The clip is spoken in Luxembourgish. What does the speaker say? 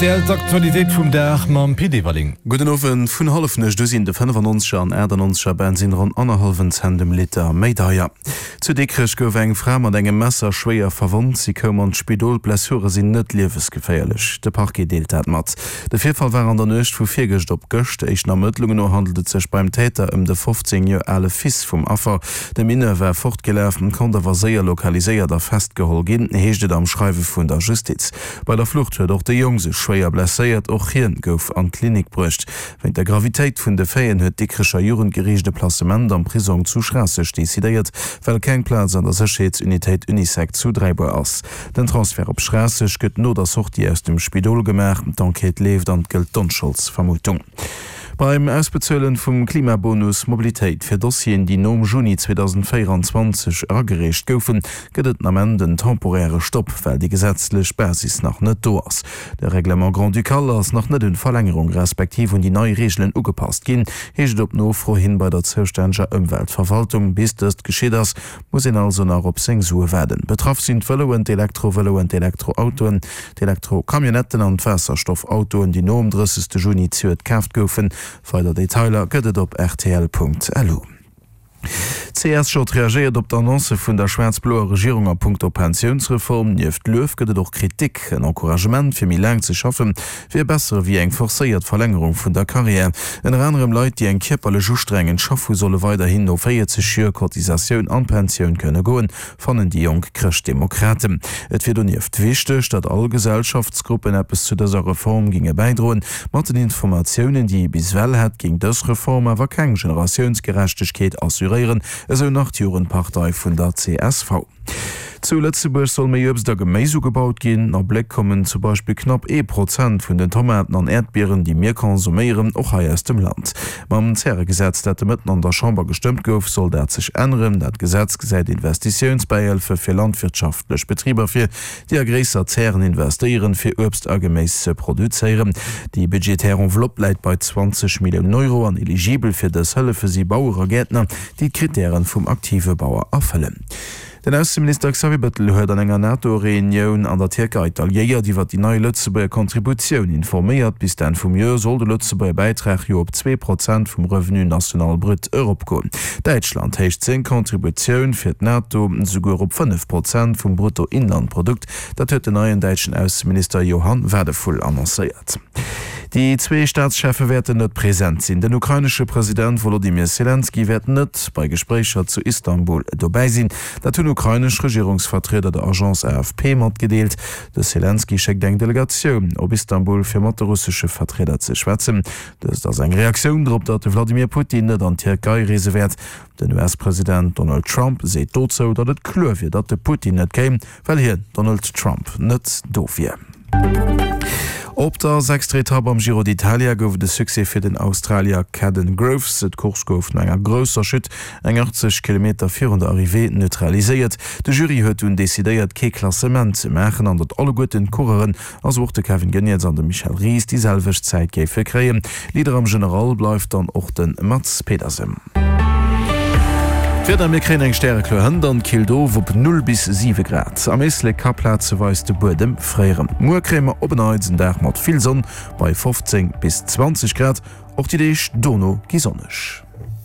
Rtl, D'Aktualitéit vum Dag mam Pit Everling. Gudden Owend. Vun Hallefnuecht u sinn de 95er an 98er Bensinn ronn annerhallwen Cent um Liter méi deier. Zu Dikrech gouf eng Fra mat engem Messer schwéier verwonnt. Si koum an d'Spidol, d'Blessure sinn net liewesgeféierlech. De Parquet deelt dat mat. De Virfall war an der Nuecht vu virgëscht op gëscht. Éischten Ermëttlungen no handelt et sech beim Täter ëm de 15 Joer ale Fils vum Affer. De Mineur war fortgelaf, konnt awer séier lokaliséiert a festgeholl ginn, heescht et am Schreiwe vun der Justiz. Bei der Flucht huet och de Jong sech schwéier blesséiert, och hien gouf an d'Klinik bruecht. Wéint der Gravitéit vun de Faiten huet d'Dikrecher Jugendgeriicht e Placement am Prisong zu Schraasseg decidéiert, well keng Plaz an der Sécherheetsunitéit Unisec zu Dräibuer ass. Den Transfert op Schraasseg gëtt no der Sortie aus dem Spidol gemaach. D'Enquête leeft an et gëllt d'Onscholdsvermutung. Beim Ausbezuelen vum Klimabonus Mobilitéit fir Dossieren, déi nom Juni 2024 eragereecht goufen, gëtt et den Ament en temporäre Stopp, well déi gesetzlech Basis nach net do ass. De Règlement grand-ducal ass nach net un d'Verlängerung respektiv un déi nei Reegelen ugepasst ginn, heescht et op Nofro hin bei der zoustänneger Ëmweltverwaltung. Bis dëst geschitt ass, muss een also nach op seng Sue waarden. Betraff sinn d'Vëloen, d'Elektrovëloen, d'Elektroautoen, d'Elektrocamionnetten an d'Waasserstoffautoen, déi nom 30. Juni zejoert kaaft goufen. Weider Detailer gëtt et op rtl.lu. D'CSJ reagéiert op d'Annonce vun der schwaarz-bloer Regierung a punkto Pensiounsreform. Nieft Luef gëtt et och Kritik. En Encouragement fir méi laang ze schaffen, wier besser ewéi eng forcéiert Verlängerung vun der Carrière. Ënner anerem Leit, déi eng kierperlech ustrengend Schaff hu solle weiderhin no 40 Joer Cotisatioun an d'Pensioun kënne goen, fannen déi jonk Chrëschtdemokraten. Et wier donieft wichteg, datt all Gesellschaftsgruppen eppes zu dëser Reform ginge bäidroen. Mat den Informatiounen, déi ee bis ewell hätt, géing dës Reform awer keng Generatiounsgerechtegkeet assuréieren, esou nach d'Jugendpartei vun der csv. Zu Lëtzebuerg soll méi Uebst a Geméis ugebaut ginn. A Bléck kommen zu Beispill knapp ee Prozent vun den Tomaten an Äerdbieren, déi mir konsuméieren, och hei aus dem Land. Mam Zäregesetz, dat de Mëtten an der Chamber gestëmmt gouf, soll dat sech änneren. Dat Gesetz gesäit Investitiounsbäihëlfe fir landwirtschaftlech Betriber vir, déi a gréisser Zären investéieren, fir Uebst a Geméis ze produzéieren. Déi budgetär Enveloppe läit bei 20 Milliounen Euro an eligibel fir dës Hëllefe si Bauer a Gäertner, déi d'Krittären vum aktive Bauer erfëllen. Den Ausseminister Xavier Bettel huet an enger NATO-Reunioun an der Tierkei d'Alliéiert iwwer déi nei Lëtzebuerger Contributioun informéiert. Bis d'Enn vum Joer soll de Lëtzebuerger Bäitrag jo op 2% vum Revenu national brut eropgoen. Däitschland héicht seng Contributioun fir d'NATO souguer op 5% vum Bruttoinlandprodukt. Dat huet den neien däitschen Ausseminister Johann Wadephul annoncéiert. Déi zwee Staatscheffe wäerten net present sinn. Den ukrainesche President Wolodymyr Selenskyj wäert net bei Gespréicher zu Istanbul dobäi sinn. Dat hunn ukrainesch Regierungsvertrieder der Agence AFP matgedeelt. De Selenskyj schéckt eng Delegatioun op Istanbul, fir mat de russesche Vertrieder ze schwätzen. Dëst ass eng Reaktioun drop, datt de Wladimir Putin net an d'Tierkei reese wäert. Den US-President Donald Trump seet dozou, datt et kloer wier, datt de Putin net kéim, Well hien, Donald Trump, net do wier. Op der sechster Etapp am Giro d'Italia gouf et e Succès fir den Australier Kaden Groves. D'Course gouf no enger grousser Chute eng 80 Kilometer virun der Arrivée neutraliséiert. De Jury huet dunn decidéiert, kee Klassement ze maachen an datt alleguerten d'Coureuren, also och de Kevin Geniets an de Michel Ries, déi selwecht Zäit géife kréien. Leader am General bleift dann och de Mads Pedersen. D'Wieder, Mir kréien eng stärekloer Hënt an killt of op 0 bis 7 Grad. Am Éislek ka plazeweis de Buedem fréieren. Muer kréie mer op en Neits en Dag mat vill Sonn bei 15 bis 20 Grad. Och déi Deeg dono gi sonneg.